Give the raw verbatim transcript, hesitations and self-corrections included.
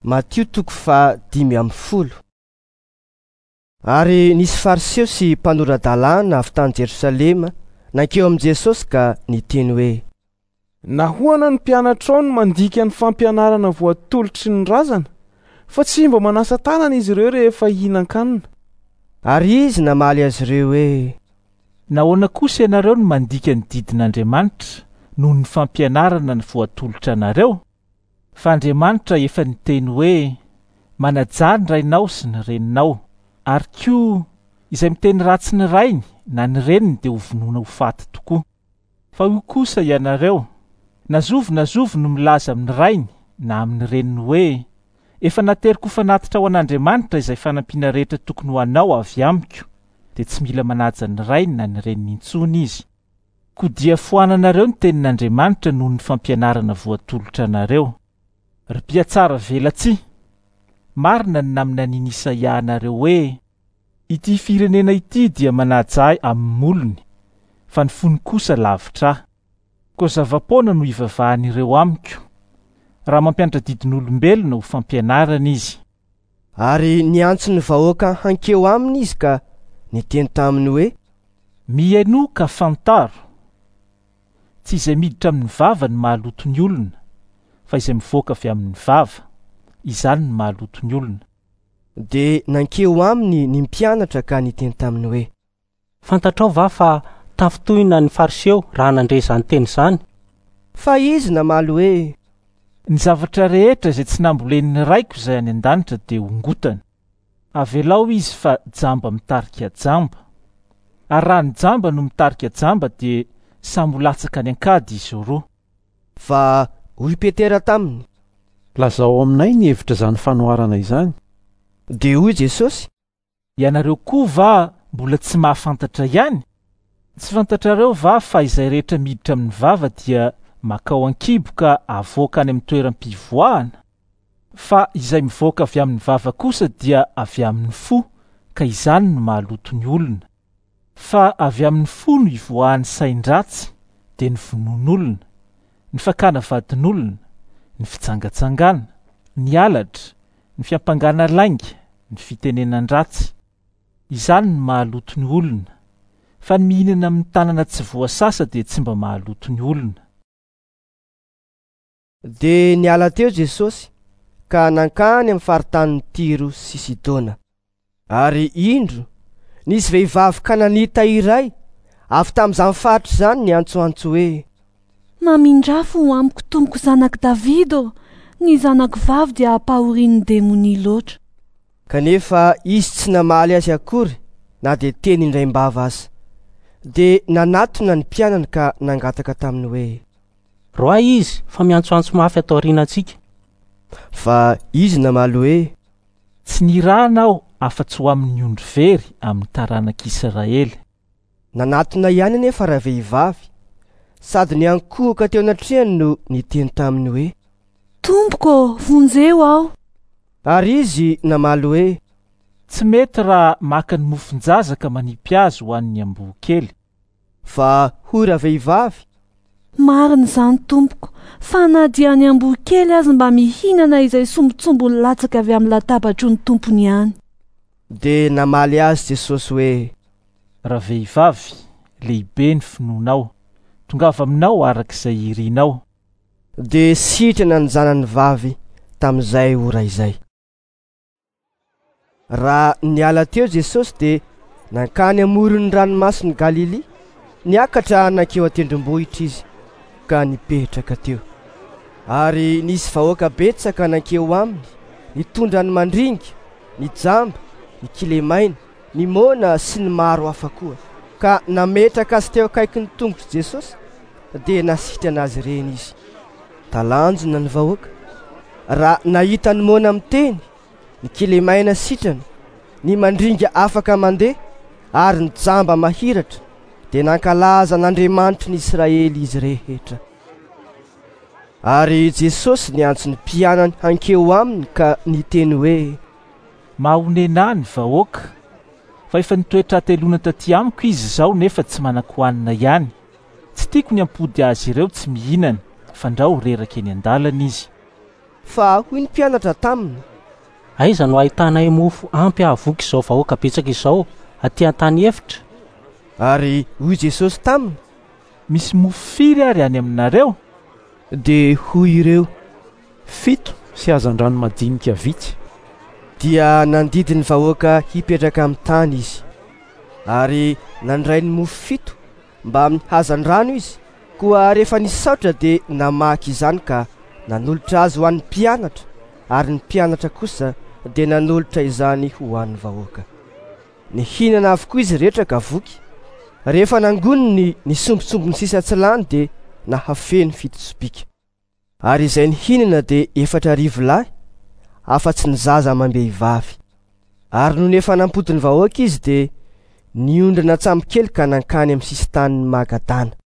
Matio toko fahadimy amby folo. Ary nisy fariseo sy mpanora-dalàna avy tany Jerosalema nankeo amin'i Jesosy ka niteny hoe: Nahoana ny mpianatrao no mandika ny fampianarana voatolotry ny razana, fa tsy mba manasa tanana izy ireo rehefa hihinan-kanina? Ary izy namaly azy ireo hoe: Nahoana kosa ianareo no mandika ny didin'Andriamanitra noho ny fampianarana ny voatolotra anareo? Fa Andriamanitra efa niteny hoe: manajà ny rainao sy ny reninao, ary koa izay miteny ratsy ny rainy na ny reniny dia ho vonoina ho faty tokoa. Fa hoy kosa ianareo: na zovy na zovy no milaza amin'ny rainy na amin'ny reniny hoe: efa nateriko ho fanatitra ho an'Andriamanitra izay fanampiana rehetra tokony ho anao avy amiko, dia tsy mila manaja ny rainy na ny reniny intsony izy. Koa dia foananareo ny tenin'Andriamanitra noho ny fampianarana voatolotra anareo. Ry mpiatsara velatsihy, marina ny naminanian'i Isaia anareo hoe: ity firenena ity dia manaja ahy amin'ny molony, fa ny fony kosa lavitra ahy. Koa zava-poana no ivavahan'ireo amiko, raha mampianatra didin'olombelona ho fampianarana izy. Ary niantso ny vahoaka hankeo aminy izy ka niteny taminy hoe: Mihainoa ka fantaro, tsy izay miditra amin'ny vava no mahaloto ny olona, fa izay mivoaka avy amin'ny vava, izany no mahaloto ny olona. Dia nankeo aminy ny mpianatra ka niteny taminy hoe: Fantatrao va fa tafintohina ny fariseo raha nandre izany teny izany? Fa izy namaly hoe: Ny zavatra rehetra izay tsy nambolen'ny raiko izay any an-danitra dia hongotana. Avelao izy fa jamba mitarika jamba. Ary raha ny jamba no mitarika jamba dia samy ho latsaka any an-kady izy roa. Fa hoy Petera taminy: Lazao aminay ny hevitra izany fanoharana izany. Dia hoy Jesosy: Ianareo koa va mbola tsy mahafantatra ihany? Tsy fantatrareo va fa izay rehetra miditra amin'ny vava dia makao an-kibo ka avoaka any amin'ny toeram-pivoahana? Fa izay mivoaka avy amin'ny vava kosa dia avy amin'ny fo, ka izany no mahaloto ny olona. Fa avy amin'ny fo no ivoahan'ny sain-dratsy, dia ny vonoan'olona, ny fakana vadin'olona, ny fitsangatsangana, ny halatra, ny fiampangana lainga, ny fitenenan-dratsy. Izany no mahaloto ny olona. Fa ny mihinana amin'ny tanana tsy voasasa dia tsy mba mahaloto ny olona. Dia niala teo Jesosy ka nankany amin'ny faritanin'i Tiro sy Sidona. Ary indro, nisy vehivavy kananita iray avy tamin'izany faritra izany niantsoantso hoe: Mamindrafo ho amiko tompoko zanak'i Davido, ny zanako vavy dia ampahorian'ny demonia loatra. Kanefa izy tsy namaly azy akory na dia teny indraim-bava aza. Dia nanatona ny mpianany ka nangataka taminy hoe: Roahy izy fa miantsoantso mafy atao aorianantsika. Fa izy namaly hoe: Tsy nirahana aho afa-tsy ho amin'ny ondry very amin'ny taranak'Israely. Nanatona ihany anefa ravehivavy, sady niankohoka teo anatrehany no niteny taminy hoe: Tompoko, vonjeo aho. Ary izy namaly hoe: Tsy mety raha maka ny mofon-jaza ka manipy azy ho an'ny amboa kely. Fa hoy ravehivavy: Marina izany tompoko, fa na dia ny amboa kely azy mba mihinana izay sombintsombiny latsaka avy amin'ny latabatry ny tompony ihany. Dia namaly azy Jesosy hoe: Ravehivavy, lehibe ny finoanao, tongava aminao araka izay irinao. Dia sitrana ny zanany vavy tamin'izay ora izay. Raha niala teo Jesosy dia nankany amoron'ny ranomasin'i Galilia, niakatra nankeo an-tendrombohitra izy ka nipetraka teo. Ary nisy vahoaka betsaka nankeo aminy, nitondra ny mandringa, ny jamba, ny kilemaina, ny moana sy ny maro hafa koa, ka nametraka azy teo akaikin'ny tongotr'i Jesosy, dia nasitrana azy ireny izy. Talanjona ny vahoaka raha nahita ny moana miteny, ny kilemaina sitrana, ny mandringa afaka mandeha, ary ny jamba mahiratra, dia nankalaza an'Andriamanitry ny Israely izy rehetra. Ary Jesosy niantso ny mpianany hankeo aminy ka niteny hoe: Mahonena ny vahoaka, fa efa nitoetra hateloana taty amiko izy izao nefa tsy manan-kohanina ihany. Tsy tiako ny hampody azy ireo tsy mihinana, fandrao reraka eny an-dalana izy. Fa hoy ny mpianatra taminy: Aiza no ahitanay mofo ampy hahavoky izao vahoaka betsaka izao aty an-tany efitra? Ary hoy Jesosy taminy: Misy mofo firy ary any aminareo? Dia hoy ireo: Fito sy hazandrano madinika vitsy. Dia nandidy ny vahoaka hipetraka amin'ny tany izy. Ary nandray ny mofo fito mba amin'ny hazandrano izy. Koa rehefa nisaotra dia namaky izany ka nanolotra azy ho an'ny mpianatra, ary ny mpianatra kosa dia nanolotra izany ho an'ny vahoaka. Nihinana avokoa izy rehetra ka voky. Rehefa nangoniny ny sombintsombiny sisa tsy lany dia nahafeno fito sobika. Ary izay nihinana dia efatra arivo lahy, afa-tsy ny zaza amam-behivavy. Ary nony efa nampody ny vahoaka izy dia niondrana an-tsambokely ka nankany amin'ny sisin-tanin'i Magadana.